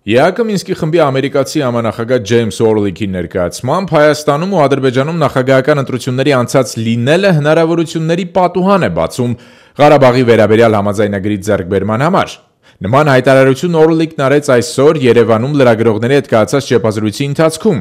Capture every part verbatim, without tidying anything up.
ԵԱՀԿ Մինսկի խմբի ամերիկացի համանախագահ Ջեյմս Օրլիքի ներկայացմամբ Հայաստանում ու Ադրբեջանում նախագահական ընտրությունների անցած լինելը հնարավորությունների պատուհան է բացում Ղարաբաղի վերաբերյալ համաձայնագրի ձեռքբերման համար։ Նման հայտարարություն Օրլիկն արեց այսօր Երևանում լրագրողների հետ կայացած ճեպազրույցի ընթացքում։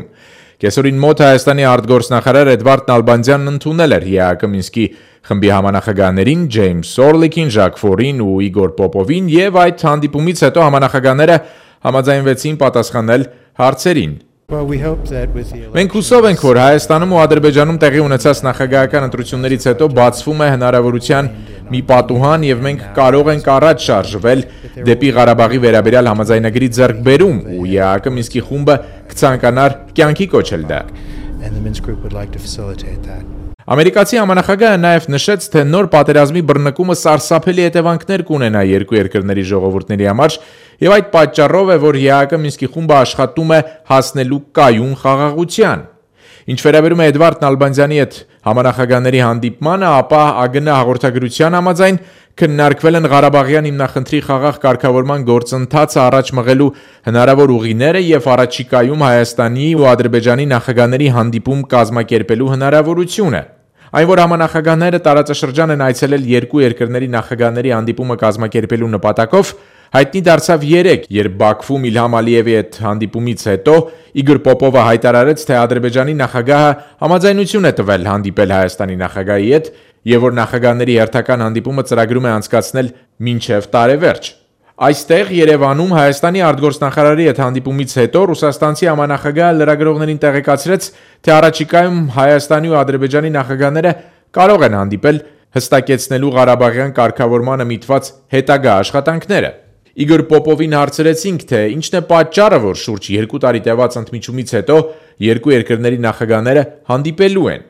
Կեսօրին մոտ Հայաստանի արտգործնախարար Էդվարդ Նալբանդյանն ընդունել էր ԵԱՀԿ Մինսկի խմբի համանախագահներին Ջեյմս Օրլիկին, Ժակ Ֆորին ու Իգոր Պոպովին եւ այդ հանդիպումից հետո համանախագահները համաձայնվեցին պատասխանել հարցերին։ Մենք հուսով ենք, որ Հայաստանում ու Ադրբեջանում տեղի ունեցած նախագահական ընտրություններից հետո բացվում է հնարավորության մի պատուհան եւ մենք կարող ենք առաջ շարժվել դեպի Ղարաբաղի վերաբերյալ համաձայնագրի ձեռքբերում ու ԵԱՀԿ Մինսկի խումբը կցանկանար կյանքի կոչել դա։ Ամերիկացի համանախագահը նաև նշեց, թե նոր պատերազմի բռնկումը սարսափելի հետևանքներ կունենա երկու երկրների ժողովուրդների համար եւ այդ պատճառով է, որ ԵԱՀԿ Մինսկի խումբը աշխատում է հասնելու կայուն խաղաղության։ Ինչ վերաբերում է Էդվարդ Նալբանդյանի հետ համանախագահների հանդիպմանը, ապա ԱԳՆ հաղորդագրության համաձայն քննարկվել են Ղարաբաղյան հիմնախնդրի խաղաղ կարգավորման գործընթացը առաջ մղելու հնարավոր ուղիները եւ առաջիկայում Հայաստանի ու Ադրբեջանի նախագահների հանդիպում կազմակերպելու հնարավորությունը։ Այն, որ համանախագահները տարածաշրջան են այցելել երկու երկրների նախագահների հանդիպումը կազմակերպելու նպատակով, հայտնի դարձավ երեկ, երբ Բաքվում Իլհամ Ալիևի հետ հանդիպումից հետո Իգոր Պոպովը հայտարարեց, թե Ադրբեջանի նախագահը համաձայնություն է տվել հանդիպել Հայաստանի նախագահի հետ եւ որ նախագահների հերթական հանդիպումը ծրագրում է անցկացնել մինչեւ տարեվերջ։ Այստեղ Երևանում Հայաստանի արտգործնախարարի հետ հանդիպումից հետո ռուսաստանցի համանախագահը լրագրողներին տեղեկացրեց, թե առաջիկայում Հայաստանի ու Ադրբեջանի նախագահները կարող են հանդիպել հստակեցնելու Ղարաբաղյան կարգավորմանը միտված հետագա աշխատանքները։ Իգոր Պոպովին հարցրեցինք, թե ինչն է պատճառը, որ շուրջ երկու տարի տևած ընդմիջումից հետո երկու երկրների նախագահները հանդիպելու են։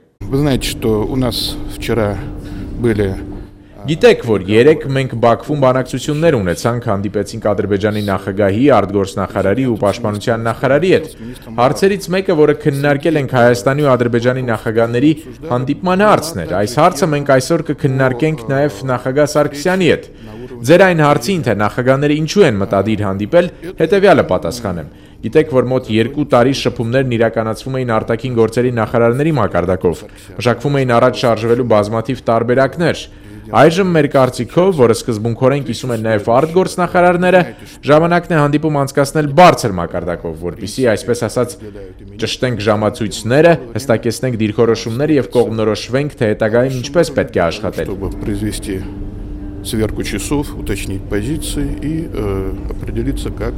Գիտեք, որ երեք մենք Բաքվում բանակցություններ ունեցանք, հանդիպեցինք Ադրբեջանի նախագահի, արտգործնախարարի ու պաշտպանության նախարարի հետ։ Հարցերից մեկը, որը քննարկել ենք Հայաստանի ու Ադրբեջանի նախագահների հանդիպման հարցն էր։ Այս հարցը մենք այսօր կքննարկենք նաև նախագահ Սարգսյանի հետ։ Ձեր այն հարցին, թե նախագահները ինչու են մտադիր հանդիպել, հետևյալը պատասխանեմ։ Գիտեք, որ մոտ երկու տարի շփումներն իրականացվում էին արտաքին գործերի նախարարների մակարդակով։ Մշակվում էին առաջ շարժվելու բազմաթիվ տարբերակներ։ Այժմ մեր կարծիքով, որը սկզբունքորեն կիսում են նաև արտգործնախարարները, ժամանակն է հանդիպում անցկացնել բարձր մակարդակով, որպեսզի այսպես ասած ճշտենք ժամացույցները, հստակեցնենք դիրքորոշումները եւ կողմնորոշվենք, թե հետագայում ինչպես պետք է աշխատել։ Сверку часов, уточнить позиции и э, определиться, как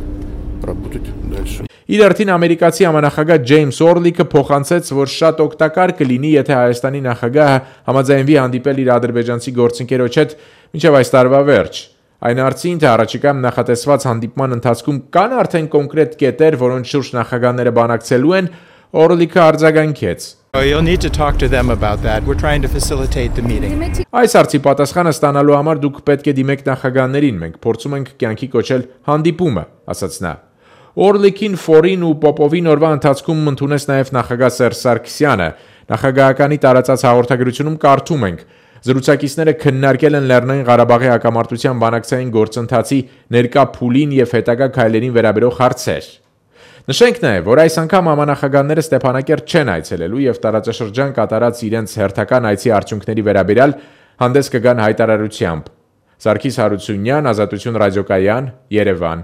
работать дальше. Իր արդին ամերիկացի համանախագահ Ջեյմս Օրլիկը փոխանցեց, որ շատ օգտակար կլինի, եթե Հայաստանի նախագահը համաձայնվի հանդիպել իր ադրբեջանցի գործընկերոջ հետ մինչև այս տարվա վերջ։ Այն հարցին, թե առաջիկայում նախատեսված հանդիպման ընթացքում կան արդեն կոնկրետ կետեր, որոնց շուրջ նախագահները բանակցելու են, Օրլիկը արձագանքեց. You'll need to talk to them about that. We're trying to facilitate the meeting. Այս հարցի պատասխանը ստանալու համար դուք պետք է դիմեք նախագահներին, մենք փորձում ենք կյանքի կոչել հանդիպումը, ասաց նա։ Օրլիկին, Ֆորին ու Պոպովին օրվա ընթացքում ընդունեց նաև նախագահ Սերժ Սարգսյանը։ Նախագահականի տարածած հաղորդագրությունում կարդում ենք. Զրուցակիցները քննարկել են Լեռնային Ղարաբաղի հակամարտության բանակցային գործընթացի ներկա փուլին եւ հետագա քայլերին վերաբերող հարցեր։ Նշենք նաև, որ այս անգամ համանախագահները Ստեփանակերտ չեն այցելելու եւ տարածաշրջան կատարած իրենց հերթական այցի արդյունքների վերաբերյալ հանդես կգան հայտարարությամբ։ Սարգիս Հարությունյան, Ազատություն ռադիոկայան, Երևան։